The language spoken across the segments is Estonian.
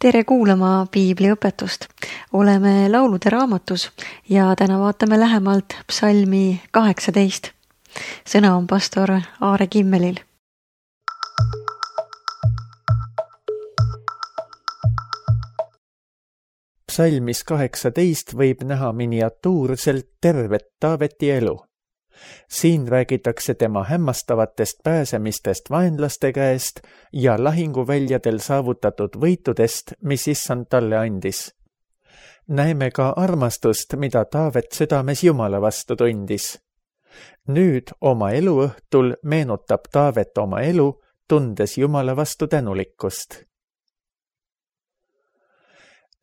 Tere kuulama piibliõpetust. Oleme laulude raamatus ja täna vaatame lähemalt psalmi 18. Sõna on pastor Aare Kimmelil. Psalmis 18 võib näha miniatuurselt tervet Taaveti elu. Siin räägitakse tema hämmastavatest pääsemistest vaenlaste käest ja lahinguväljadel saavutatud võitudest, mis issand talle andis. Näeme ka armastust, mida Taavet südames Jumala vastu tundis. Nüüd oma eluõhtul meenutab Taavet oma elu, tundes Jumala vastu tänulikkust.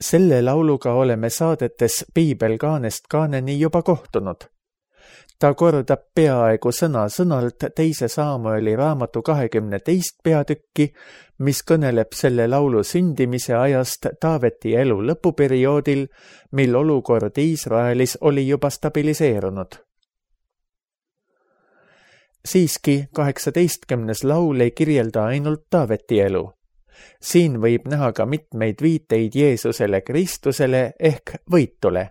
Selle lauluga oleme saadetes Piibelkaanest kaaneni juba kohtunud. Ta kordab peaaegu sõna-sõnalt 2. Saamueli raamatu 22. peatükki, mis kõneleb selle laulu sündimise ajast Taaveti elu lõpuperioodil, mil olukord Iisraelis oli juba stabiliseerunud. Siiski 18. laul ei kirjelda ainult Taaveti elu. Siin võib näha ka mitmeid viiteid Jeesusele Kristusele ehk võitule.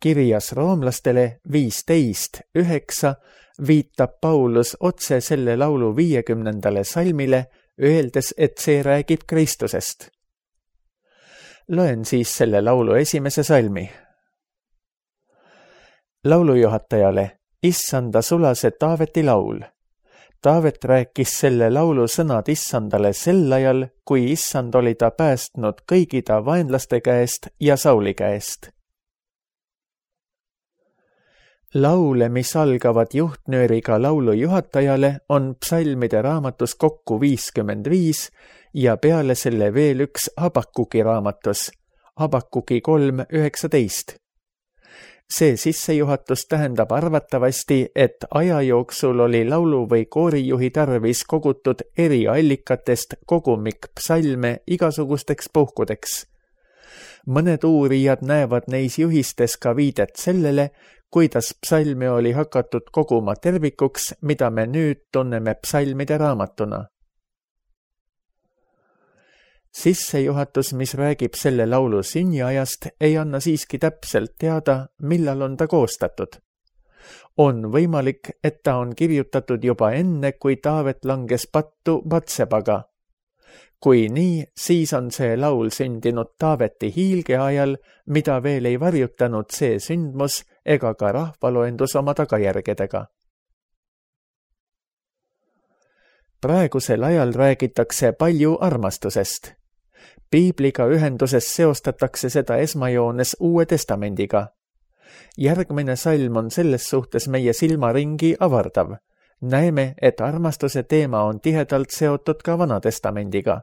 Kirjas roomlastele 15:9 viitab Paulus otse selle laulu 50. salmile, öeldes, et see räägib Kristusest. Loen siis selle laulu 1. salmi. Laulujuhatajale, issanda sulase Taaveti laul. Taavet rääkis selle laulu sõnad issandale sel ajal, kui issand oli ta päästnud kõigi ta vaenlaste käest ja Sauli käest. Laule, mis algavad juhtnööriga laulujuhatajale, on psalmide raamatus kokku 55 ja peale selle veel üks Habakkuki raamatus, Habakkuki 3:19. See sissejuhatus tähendab arvatavasti, et aja jooksul oli laulu- või koorijuhi tarvis kogutud eri allikatest kogumik psalme igasugusteks puhkudeks. Mõned uurijad näevad neis juhistes ka viidet sellele, kuidas psalme oli hakatud koguma tervikuks, mida me nüüd tunneme psalmide raamatuna. Sissejuhatus, mis räägib selle laulu sünniajast, ei anna siiski täpselt teada, millal on ta koostatud. On võimalik, et ta on kirjutatud juba enne, kui Taavet langes pattu Batsebaga. Kui nii, siis on see laul sündinud Taaveti hiilge ajal, mida veel ei varjutanud see sündmus ega ka rahvaloendus oma tagajärgedega. Praegusel ajal räägitakse palju armastusest. Piibliga ühenduses seostatakse seda esmajoones Uue Testamendiga. Järgmine salm on selles suhtes meie silmaringi avardav. Näeme, et armastuse teema on tihedalt seotud ka Vana Testamendiga.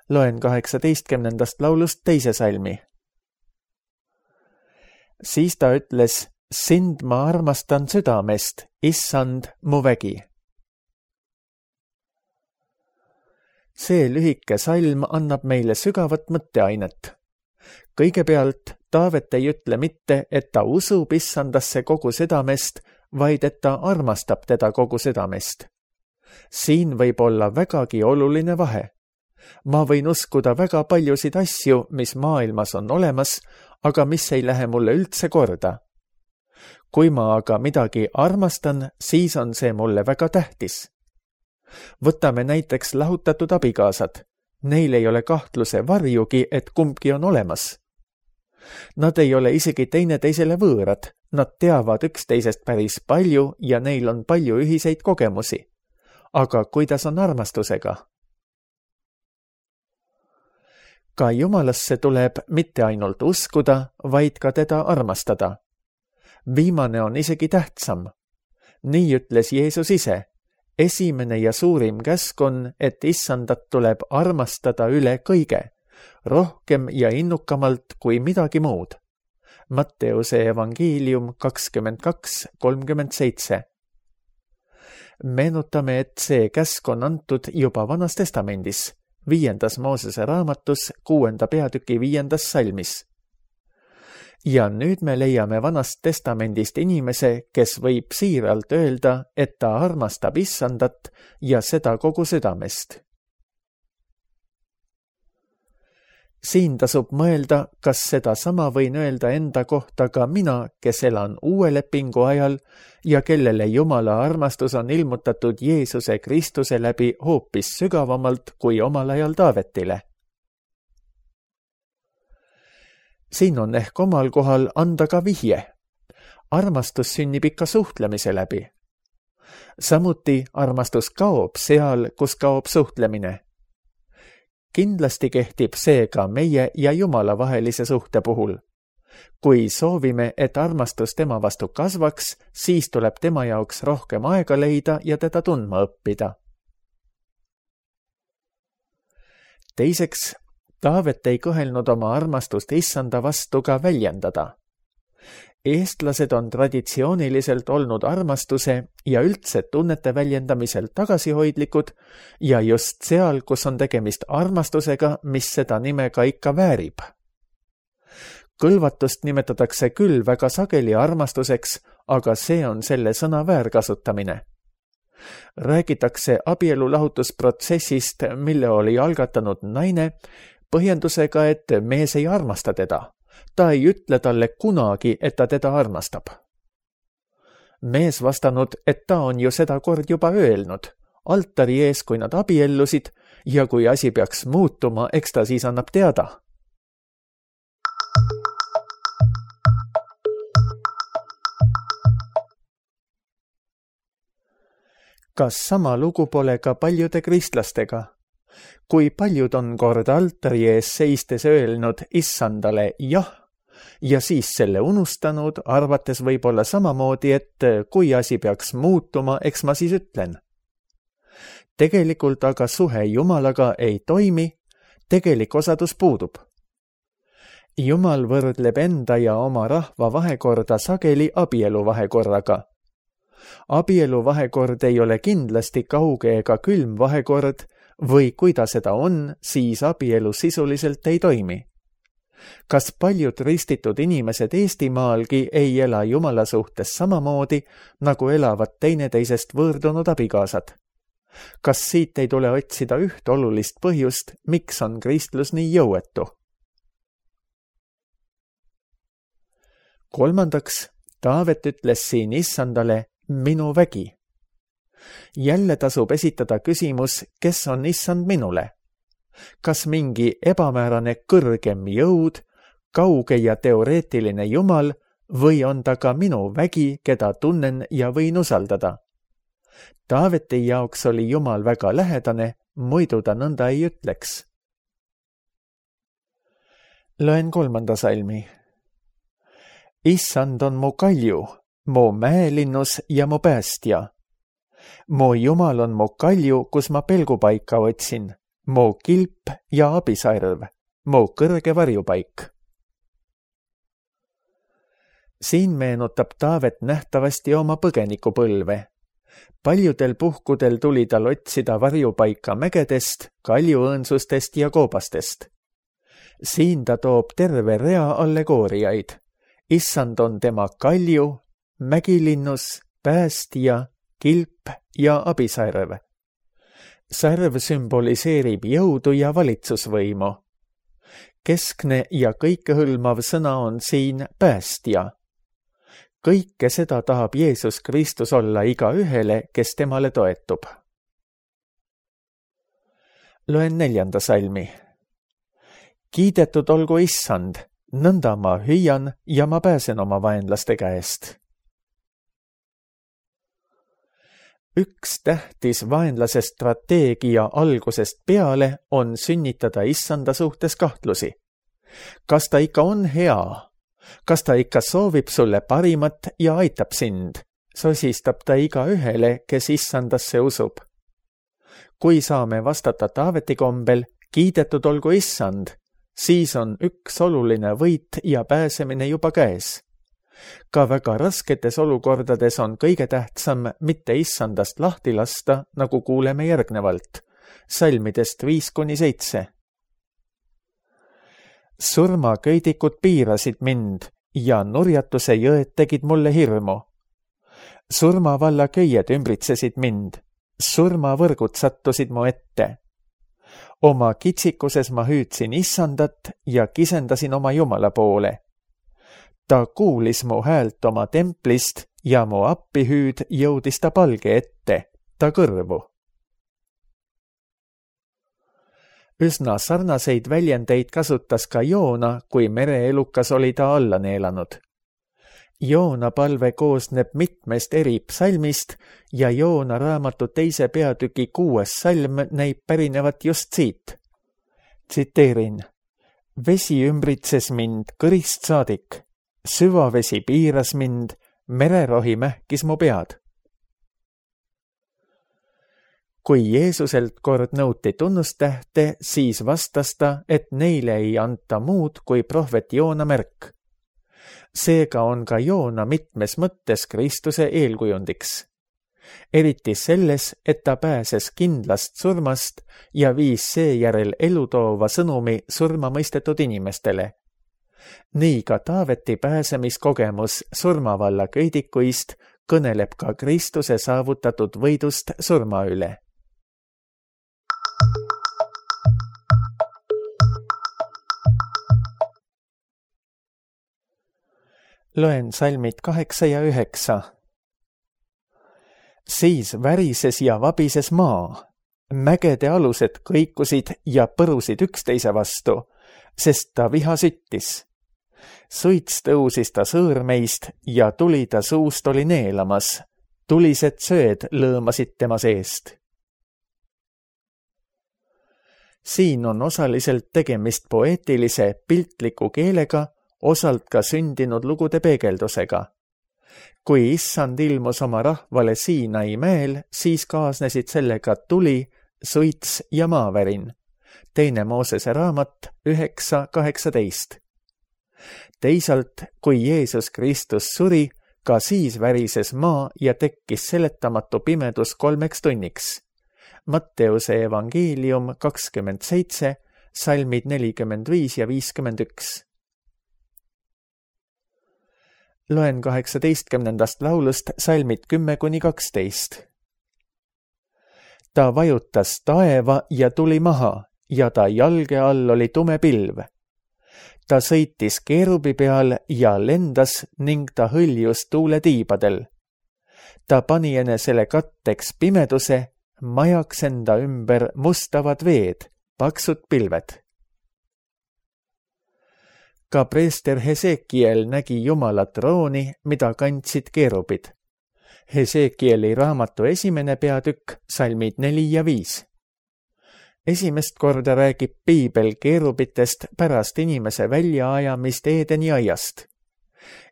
Loen 18. laulust 2. salmi. Siis ta ütles, sind ma armastan südamest, issand mu vägi. See lühike salm annab meile sügavat mõtteainet. Kõigepealt Taavet ei ütle mitte, et ta usub issandasse kogu südamest, vaid et ta armastab teda kogu südamest. Siin võib olla vägagi oluline vahe. Ma võin uskuda väga paljusid asju, mis maailmas on olemas, aga mis ei lähe mulle üldse korda. Kui ma aga midagi armastan, siis on see mulle väga tähtis. Võtame näiteks lahutatud abikaasad. Neil ei ole kahtluse varjugi, et kumbki on olemas. Nad ei ole isegi teineteisele võõrad, nad teavad üksteisest päris palju ja neil on palju ühiseid kogemusi. Aga kuidas on armastusega? Ka Jumalasse tuleb mitte ainult uskuda, vaid ka teda armastada. Viimane on isegi tähtsam. Nii ütles Jeesus ise. Esimene ja suurim käsk on, et issandat tuleb armastada üle kõige, rohkem ja innukamalt kui midagi muud. Matteuse evangeelium 22:37. Meenutame, et see käsk on antud juba Vanas Testamendis, 5. Moosese raamatus 6. peatüki 5. salmis. Ja nüüd me leiame Vanast Testamendist inimese, kes võib siiralt öelda, et ta armastab issandat ja seda kogu südamest. siin tasub mõelda, kas sedasama võin öelda enda kohta ka mina, kes elan uue lepingu ajal ja kellele Jumala armastus on ilmutatud Jeesuse Kristuse läbi hoopis sügavamalt kui omal ajal Taavetile. Siin on ehk omal kohal anda ka vihje. Armastus sünnib ikka suhtlemise läbi. Samuti armastus kaob seal, kus kaob suhtlemine. Kindlasti kehtib see ka meie ja Jumala vahelise suhte puhul. Kui soovime, et armastus tema vastu kasvaks, siis tuleb tema jaoks rohkem aega leida ja teda tundma õppida. Teiseks, Taavet ei kõhelnud oma armastust Issanda vastu ka väljendada. Eestlased on traditsiooniliselt olnud armastuse ja üldse tunnete väljendamisel tagasihoidlikud ja just seal, kus on tegemist armastusega, mis seda nime ka ikka väärib. Kõlvatust nimetatakse küll väga sageli armastuseks, aga see on selle sõna väärkasutamine. Räägitakse abielulahutusprotsessist, mille oli algatanud naine, põhjendusega, et mees ei armasta teda. Ta ei ütle talle kunagi, et ta teda armastab. Mees vastanud, et ta on ju seda kord juba öelnud, altari ees, kui nad abiellusid, ja kui asi peaks muutuma, eks ta siis annab teada. Kas sama lugu pole ka paljude kristlastega? Kui paljud on kord altari ees seistes öelnud Issandale jah ja siis selle unustanud, arvates võib-olla samamoodi, et kui asi peaks muutuma, eks ma siis ütlen. Tegelikult aga suhe Jumalaga ei toimi, tegelik osadus puudub. Jumal võrdleb enda ja oma rahva vahekorda sageli abielu vahekorraga. Abielu vahekord ei ole kindlasti kauge ega külm vahekord, või kui ta seda on, siis abielu sisuliselt ei toimi. Kas paljud ristitud inimesed Eestimaalgi ei ela Jumala suhtes samamoodi, nagu elavad teineteisest võõrdunud abikaasad? Kas siit ei tule otsida üht olulist põhjust, miks on kristlus nii jõuetu? Kolmandaks, Taavet ütles siin Issandale minu vägi. Jälle tasub esitada küsimus, kes on Issand minule? Kas mingi ebamäärane kõrgem jõud, kauge ja teoreetiline Jumal või on ta ka minu vägi, keda tunnen ja võin usaldada? Taaveti jaoks oli Jumal väga lähedane, muidu ta nõnda ei ütleks. Loen 3. salmi. Issand on mu kalju, mu mäelinnus ja mu päästja. Mu Jumal on mu kalju, kus ma pelgupaika otsin, mu kilp ja abisarv, mu kõrge varjupaik. Siin meenutab Taavet nähtavasti oma põgenikupõlve. Paljudel puhkudel tuli tal otsida varjupaika mägedest, kaljuõõnsustest ja koobastest. Siin ta toob terve rea allegooriaid. Issand on tema kalju, mägilinnus, päästja, kilp ja abisarv. Sarv sümboliseerib jõudu ja valitsusvõimu. Keskne ja kõikehõlmav sõna on siin päästja. Kõike seda tahab Jeesus Kristus olla igaühele, kes temale toetub. Loen 4. salmi. Kiidetud olgu Issand, nõnda ma hüüan ja ma pääsen oma vaenlaste käest. Üks tähtis vaenlase strateegia algusest peale on sünnitada Issanda suhtes kahtlusi. Kas ta ikka on hea? Kas ta ikka soovib sulle parimat ja aitab sind? Sosistab ta igaühele, kes Issandasse usub. Kui saame vastata Taaveti kombel, kiidetud olgu Issand, siis on üks oluline võit ja pääsemine juba käes. Ka väga rasketes olukordades on kõige tähtsam mitte Issandast lahti lasta, nagu kuuleme järgnevalt, salmidest 5-7. Surmaköidikud piirasid mind ja nurjatuse jõed tegid mulle hirmu. Surmavalla köied ümbritsesid mind, surmavõrgud sattusid mu ette. Oma kitsikuses ma hüüdsin issandat ja kisendasin oma Jumala poole. Ta kuulis mu häält oma templist ja mu appihüüd jõudis ta palge ette, ta kõrvu. Üsna sarnaseid väljendeid kasutas ka Joona, kui mereelukas oli ta alla neelanud. Joona palve koosneb mitmest eri psalmist ja Joona raamatu 2. peatüki 6. salm näib pärinevat just siit. Tsiteerin: Vesi ümbritses mind kõrist saadik, süvavesi piiras mind, mererohi mähkis mu pead. Kui Jeesuselt kord nõuti tunnustähte, siis vastas ta, et neile ei anta muud kui prohvet Joona märk. Seega on ka Joona mitmes mõttes Kristuse eelkujundiks. Eriti selles, et ta pääses kindlast surmast ja viis seejärel elutoova sõnumi surma mõistetud inimestele. Nii ka Taaveti pääsemiskogemus surmavalla köidikuist kõneleb ka Kristuse saavutatud võidust surma üle. Loen salmid 8 ja 9. Siis värises ja vabises maa, mägede alused kõikusid ja põrusid üksteise vastu, sest ta viha süttis. Suits tõusis ta sõõrmeist ja tuli ta suust oli neelamas, tulised sööd lõõmasid tema seest. Siin on osaliselt tegemist poeetilise, piltliku keelega, osalt ka sündinud lugude peegeldusega. Kui issand ilmus oma rahvale Siinai mäel, siis kaasnesid sellega tuli, suits ja maavärin. 2. Moosese raamat 9.18. Teisalt, kui Jeesus Kristus suri, ka siis värises maa ja tekkis seletamatu pimedus 3 tunniks. Matteuse evangeelium 27, salmid 45 ja 51. Loen 18. laulust salmid 10-12. Ta vajutas taeva ja tuli maha ja ta jalge all oli tume pilv. Ta sõitis keerubi peal ja lendas ning ta hõljus tuuletiibadel. Ta pani enesele katteks pimeduse, majaks enda ümber mustavad veed, paksud pilved. Ka preester Hesekiel nägi Jumala trooni, mida kandsid keerubid. Hesekieli raamatu 1. peatükk, salmid 4 ja 5. Esimest korda räägib piibel keerubitest pärast inimese väljaajamist Eedeni aiast.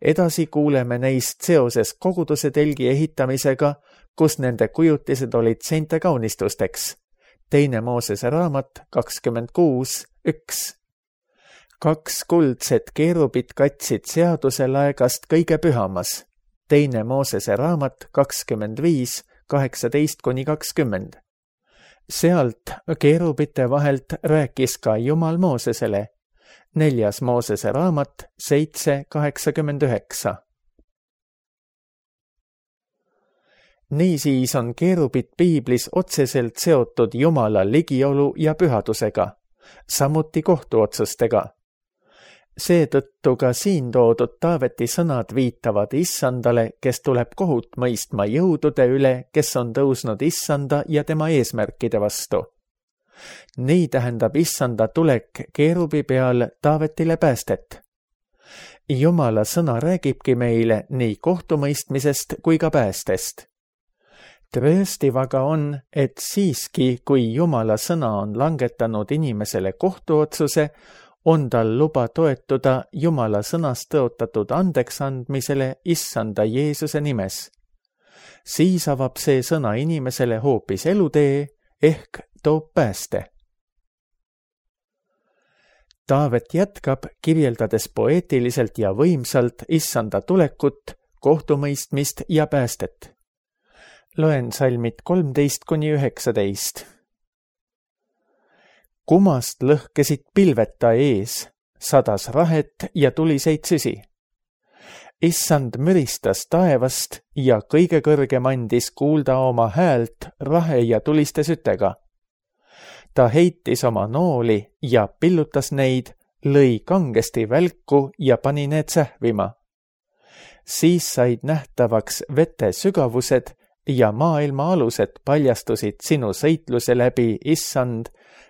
Edasi kuuleme neist seoses koguduse telgi ehitamisega, kus nende kujutised olid seinte kaunistusteks. 2. Moosese raamat 26.1. 2 kuldset keerubit katsid seaduse laegast kõige pühamas. 2. Moosese raamat 25, 18-20. Sealt keerubite vahelt rääkis ka Jumal Moosesele. 4. Moosese raamat 7.89. Niisiis on keerubid piiblis otseselt seotud Jumala ligiolu ja pühadusega, samuti kohtuotsustega. Seetõttu ka siin toodud Taaveti sõnad viitavad issandale, kes tuleb kohut mõistma jõudude üle, kes on tõusnud issanda ja tema eesmärkide vastu. Nii tähendab issanda tulek keerubi peal Taavetile päästet. Jumala sõna räägibki meile nii kohtumõistmisest kui ka päästest. Trööstiv aga on, et siiski, kui Jumala sõna on langetanud inimesele kohtuotsuse, on tal luba toetuda Jumala sõnast tõotatud andeksandmisele issanda Jeesuse nimes. Siis avab see sõna inimesele hoopis elutee ehk toob pääste. Taavet jätkab, kirjeldades poeetiliselt ja võimsalt issanda tulekut, kohtumõistmist ja päästet. Loen salmid 13-19. Kumast lõhkesid pilveta ees, sadas rahet ja tuliseid süsi. Issand müristas taevast ja kõige kõrgem andis kuulda oma häält rahe ja tuliste sütega. Ta heitis oma nooli ja pillutas neid, lõi kangesti välku ja pani need sähvima. Siis said nähtavaks vete sügavused ja maailma alused paljastusid sinu sõitluse läbi, Issand,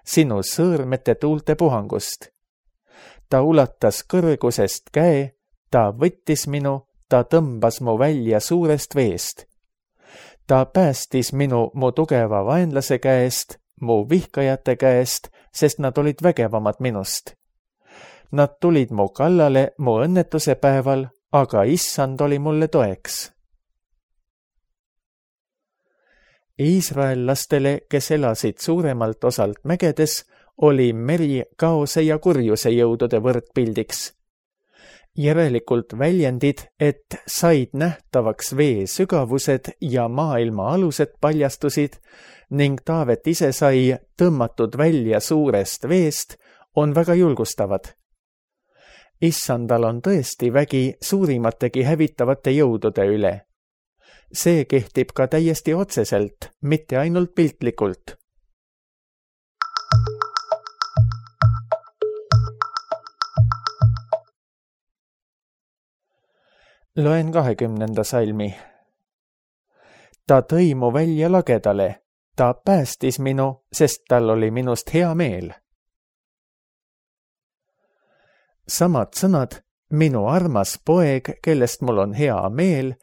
sinu sõõrmete tuulte puhangust. Ta ulatas kõrgusest käe, ta võttis minu, ta tõmbas mu välja suurest veest. Ta päästis minu mu tugeva vaenlase käest, mu vihkajate käest, sest nad olid vägevamad minust. Nad tulid mu kallale mu õnnetuse päeval, aga Issand oli mulle toeks. Iisraellastele, kes elasid suuremalt osalt mägedes, oli meri kaose ja kurjuse jõudude võrdpildiks. Järelikult väljendid, et said nähtavaks vee sügavused ja maailma alused paljastusid ning Taavet ise sai tõmmatud välja suurest veest, on väga julgustavad. Issandal on tõesti vägi suurimategi hävitavate jõudude üle. See kehtib ka täiesti otseselt, mitte ainult piltlikult. Loen 20. salmi. Ta tõi mu välja lagedale, ta päästis minu, sest tal oli minust hea meel. Samad sõnad, minu armas poeg, kellest mul on hea meel,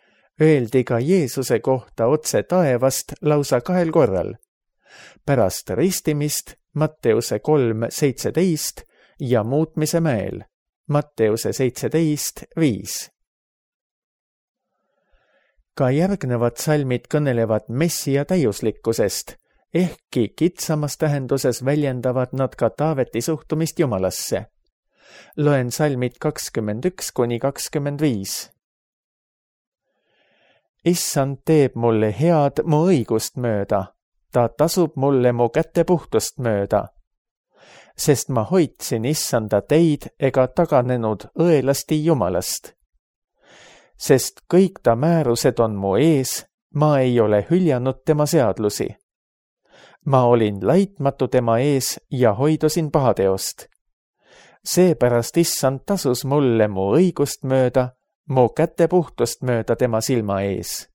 öeldi ka Jeesuse kohta otse taevast lausa 2 korral. Pärast ristimist Matteuse 3:17 ja muutmise mäel Matteuse 17:5. Ka järgnevad salmid kõnelevad Messia täiuslikkusest, ehkki kitsamas tähenduses väljendavad nad ka Taaveti suhtumist Jumalasse. Loen salmid 21-25. Issand teeb mulle head mu õigust mööda, ta tasub mulle mu käte puhtust mööda. Sest ma hoidsin Issanda teid ega taganenud õelasti Jumalast. Sest kõik ta määrused on mu ees, ma ei ole hüljanud tema seadlusi. Ma olin laitmatu tema ees ja hoidusin pahateost. Seepärast Issand tasus mulle mu õigust mööda, mu käte puhtust mööda tema silma ees.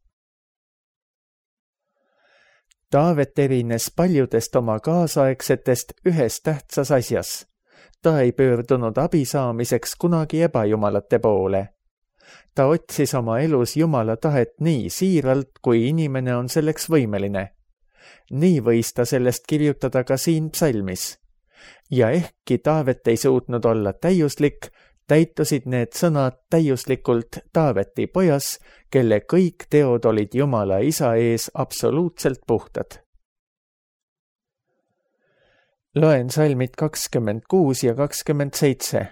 Taavet erines paljudest oma kaasaegsetest ühes tähtsas asjas. Ta ei pöördunud abi saamiseks kunagi ebajumalate poole. Ta otsis oma elus Jumala tahet nii siiralt, kui inimene on selleks võimeline. Nii võis ta sellest kirjutada ka siin psalmis. Ja ehkki Taavet ei suutnud olla täiuslik, täitusid need sõnad täiuslikult Taaveti pojas, kelle kõik teod olid Jumala isa ees absoluutselt puhtad. Loen salmid 26 ja 27.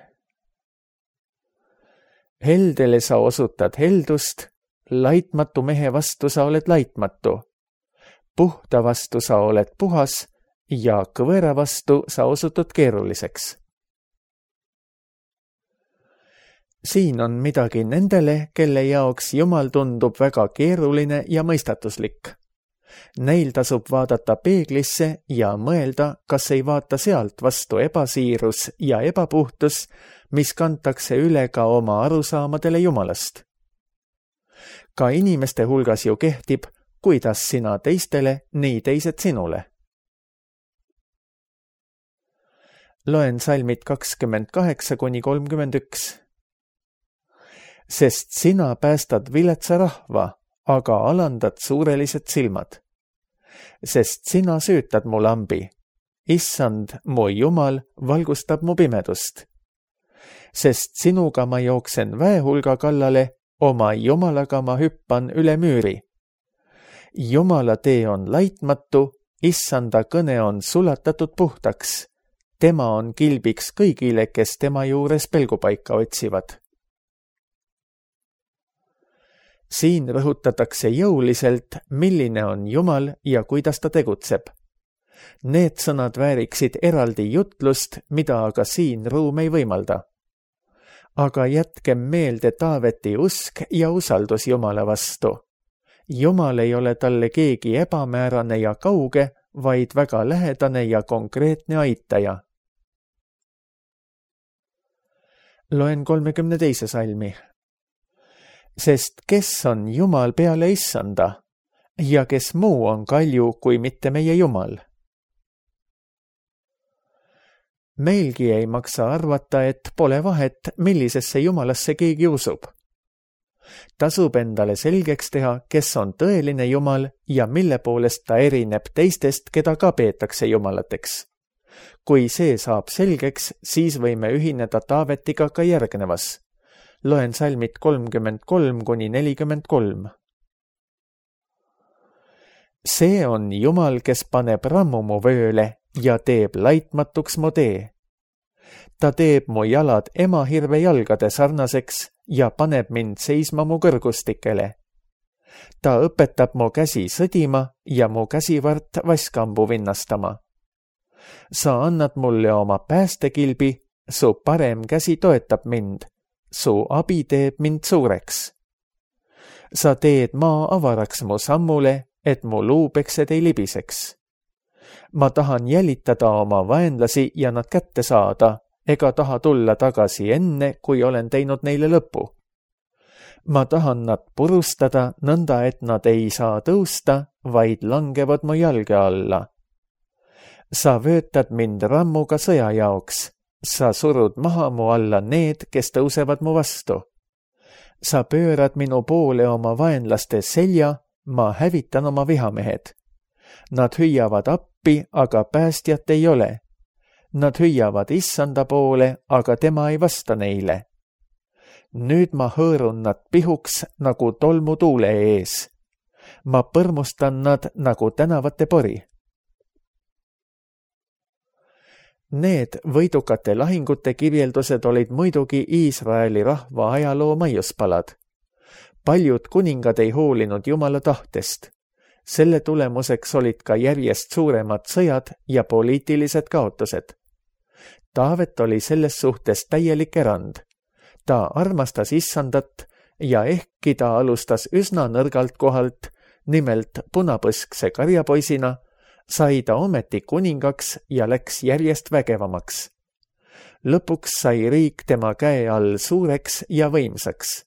Heldele sa osutad heldust, laitmatu mehe vastu sa oled laitmatu. Puhta vastu sa oled puhas ja kõvera vastu sa osutud keeruliseks. Siin on midagi nendele, kelle jaoks Jumal tundub väga keeruline ja mõistatuslik. Neil tasub vaadata peeglisse ja mõelda, kas ei vaata sealt vastu ebasiirus ja ebapuhtus, mis kantakse üle ka oma arusaamadele Jumalast. Ka inimeste hulgas ju kehtib, kuidas sina teistele, nii teised sinule. Loen salmid 28-31. Sest sina päästad viletsa rahva, aga alandad suurelised silmad. Sest sina süütad mu lambi. Issand, mu Jumal, valgustab mu pimedust. Sest sinuga ma jooksen väehulga kallale, oma Jumalaga ma hüppan üle müüri. Jumala tee on laitmatu, Issanda kõne on sulatatud puhtaks. Tema on kilbiks kõigile, kes tema juures pelgupaika otsivad. Siin rõhutatakse jõuliselt, milline on Jumal ja kuidas ta tegutseb. Need sõnad vääriksid eraldi jutlust, mida aga siin ruum ei võimalda. Aga jätkem meelde Taaveti usk ja usaldus Jumala vastu. Jumal ei ole talle keegi ebamäärane ja kauge, vaid väga lähedane ja konkreetne aitaja. Loen 32. salmi. Sest kes on Jumal peale issanda ja kes muu on kalju kui mitte meie Jumal? Meilgi ei maksa arvata, et pole vahet, millisesse Jumalasse keegi usub. Tasub endale selgeks teha, kes on tõeline Jumal ja mille poolest ta erineb teistest, keda ka peetakse jumalateks. Kui see saab selgeks, siis võime ühineda Taavetiga ka järgnevas. Loen salmid 33–43. See on Jumal, kes paneb rammu mu vööle ja teeb laitmatuks mu tee. Ta teeb mu jalad emahirve jalgade sarnaseks ja paneb mind seisma mu kõrgustikele. Ta õpetab mu käsi sõdima ja mu käsivart vaskambu vinnastama. Sa annad mulle oma päästekilbi, su parem käsi toetab mind, su abi teeb mind suureks. Sa teed maa avaraks mu sammule, et mu luupeksed ei libiseks. Ma tahan jälitada oma vaenlasi ja nad kätte saada, ega taha tulla tagasi enne, kui olen teinud neile lõpu. Ma tahan nad purustada nõnda, et nad ei saa tõusta, vaid langevad mu jalge alla. Sa vöötad mind rammuga sõja jaoks, sa surud maha mu alla need, kes tõusevad mu vastu. Sa pöörad minu poole oma vaenlaste selja, ma hävitan oma vihamehed. Nad hüüavad appi, aga päästjat ei ole. Nad hüüavad issanda poole, aga tema ei vasta neile. Nüüd ma hõõrun nad pihuks nagu tolmu tuule ees. Ma põrmustan nad nagu tänavate pori. Need võidukate lahingute kirjeldused olid muidugi Iisraeli rahva ajaloo maiuspalad. Paljud kuningad ei hoolinud Jumala tahtest. Selle tulemuseks olid ka järjest suuremad sõjad ja poliitilised kaotused. Taavet oli selles suhtes täielik erand. Ta armastas issandat ja ehkki ta alustas üsna nõrgalt kohalt, nimelt punapõskse karjapoisina, sai ta ometi kuningaks ja läks järjest vägevamaks. Lõpuks sai riik tema käe all suureks ja võimsaks.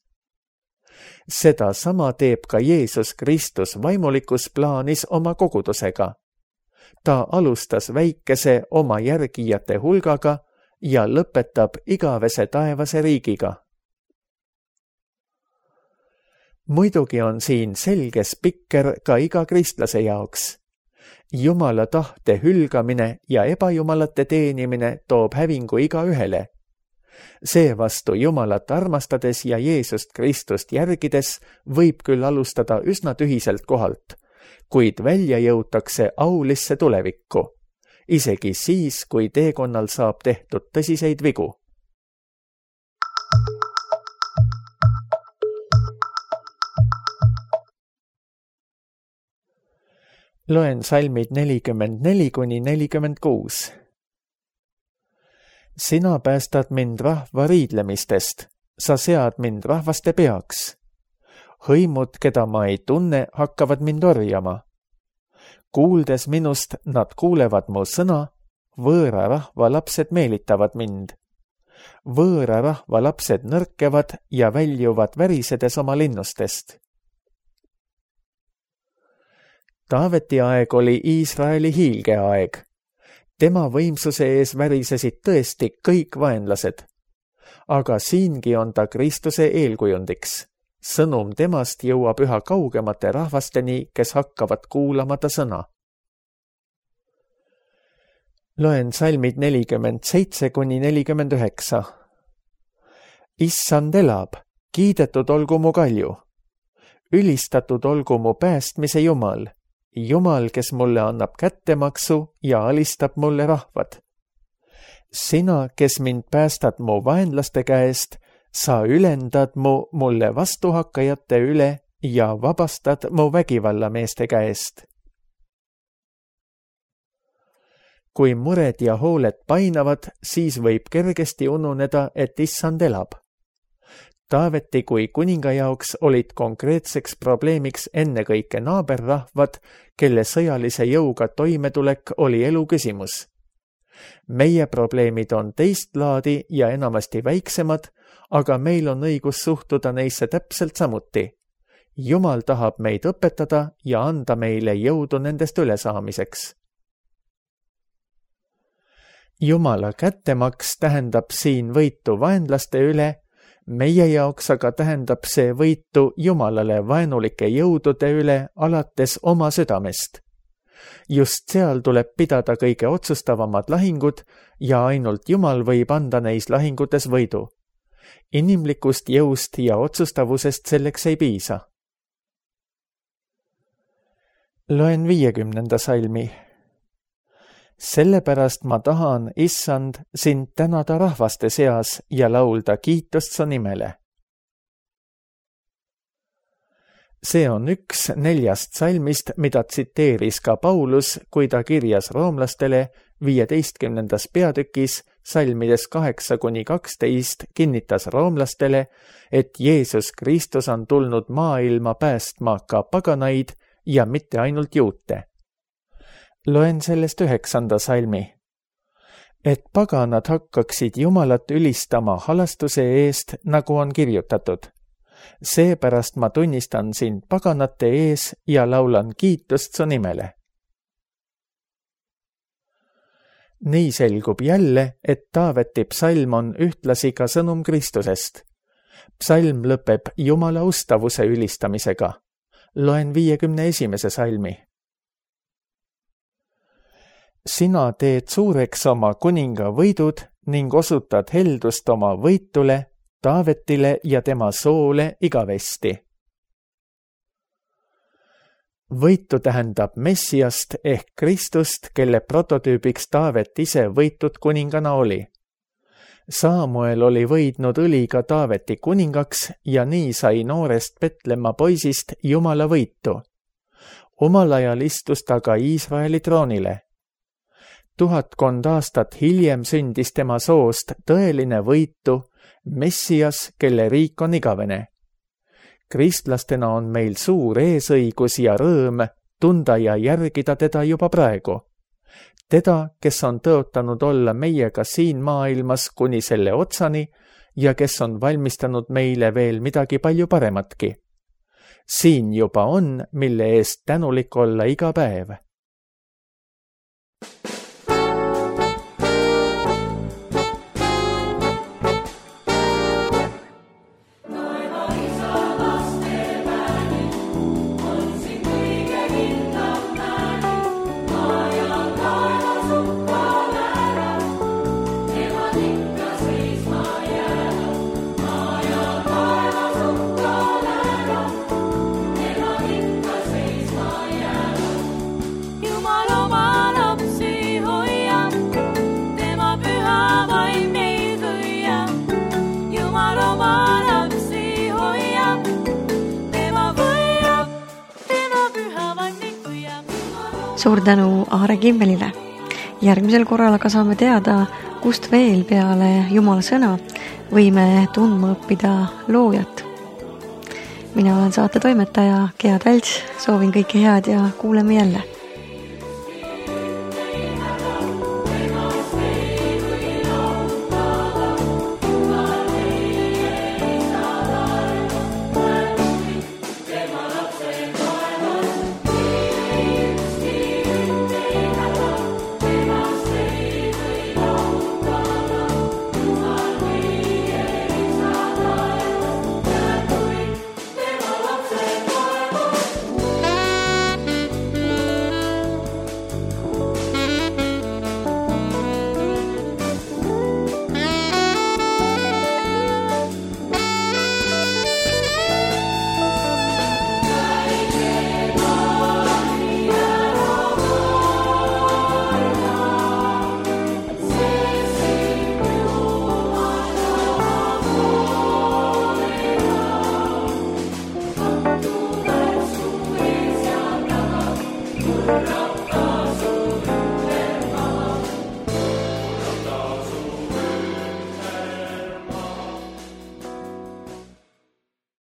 Seda sama teeb ka Jeesus Kristus vaimulikus plaanis oma kogudusega. Ta alustas väikese oma järgijate hulgaga ja lõpetab igavese taevase riigiga. Muidugi on siin selge spikker ka iga kristlase jaoks. Jumala tahte hülgamine ja ebajumalate teenimine toob hävingu igaühele. Seevastu Jumalat armastades ja Jeesust Kristust järgides võib küll alustada üsna tühiselt kohalt, kuid välja jõutakse aulisse tulevikku, isegi siis, kui teekonnal saab tehtud tõsiseid vigu. Loen salmid 44–46. Sina päästad mind rahva riidlemistest, sa sead mind rahvaste peaks. Hõimud, keda ma ei tunne, hakkavad mind orjama. Kuuldes minust, nad kuulevad mu sõna, võõra rahva lapsed meelitavad mind. Võõra rahva lapsed nõrkevad ja väljuvad värisedes oma linnustest. Taaveti aeg oli Iisraeli hiilgeaeg. Tema võimsuse ees värisesid tõesti kõik vaenlased. Aga siingi on ta Kristuse eelkujundiks. Sõnum temast jõuab üha kaugemate rahvasteni, kes hakkavad kuulama ta sõna. Loen salmid 47–49. Issand elab, kiidetud olgu mu kalju. Ülistatud olgu mu päästmise Jumal. Jumal, kes mulle annab kättemaksu ja alistab mulle rahvad. Sina, kes mind päästad mu vaenlaste käest, sa ülendad mulle vastuhakkajate üle ja vabastad mu vägivallameeste käest. Kui mured ja hooled painavad, siis võib kergesti ununeda, et issand elab. Taaveti kui kuninga jaoks olid konkreetseks probleemiks ennekõike naaberrahvad, kelle sõjalise jõuga toimetulek oli elu küsimus. Meie probleemid on teist laadi ja enamasti väiksemad, aga meil on õigus suhtuda neisse täpselt samuti. Jumal tahab meid õpetada ja anda meile jõudu nendest ülesaamiseks. Jumala kättemaks tähendab siin võitu vaenlaste üle, meie jaoks aga tähendab see võitu Jumalale vaenulike jõudude üle alates oma südamest. Just seal tuleb pidada kõige otsustavamad lahingud ja ainult Jumal võib anda neis lahingutes võidu. Inimlikust jõust ja otsustavusest selleks ei piisa. Loen 50. salmi. Sellepärast ma tahan, Issand, sind tänada rahvaste seas ja laulda kiitust su nimele. See on üks 4 salmist, mida tsiteeris ka Paulus, kui ta kirjas roomlastele 15. peatükis salmides 8-12 kinnitas roomlastele, et Jeesus Kristus on tulnud maailma päästma ka paganaid ja mitte ainult juute. Loen sellest 9. salmi. Et paganad hakkaksid Jumalat ülistama halastuse eest, nagu on kirjutatud. Seepärast ma tunnistan sind paganate ees ja laulan kiitust su nimele. Nii selgub jälle, et Taaveti psalm on ühtlasi ka sõnum Kristusest. Psalm lõpeb Jumala ustavuse ülistamisega. Loen 51. salmi. Sina teed suureks oma kuninga võidud ning osutad heldust oma võitule, Taavetile ja tema soole igavesti. Võitu tähendab Messiast ehk Kristust, kelle prototüübiks Taavet ise võitud kuningana oli. Saamuel oli võidnud õliga Taaveti kuningaks ja nii sai noorest Petlemma poisist Jumala võitu. Omal ajal istus ta ka Iisraeli troonile. 1000 aastat hiljem sündis tema soost tõeline võitu, Messias, kelle riik on igavene. Kristlastena on meil suur eesõigus ja rõõm tunda ja järgida teda juba praegu. Teda, kes on tõotanud olla meiega siin maailmas kuni selle otsani ja kes on valmistanud meile veel midagi palju parematki. Siin juba on, mille eest tänulik olla iga päev. Suur tänu Aare Kimmelile. Järgmisel korral aga saame teada, kust veel peale Jumala sõna võime tundma õppida loojat. Mina olen saate toimetaja Gea Tälts, soovin kõike head ja kuuleme jälle.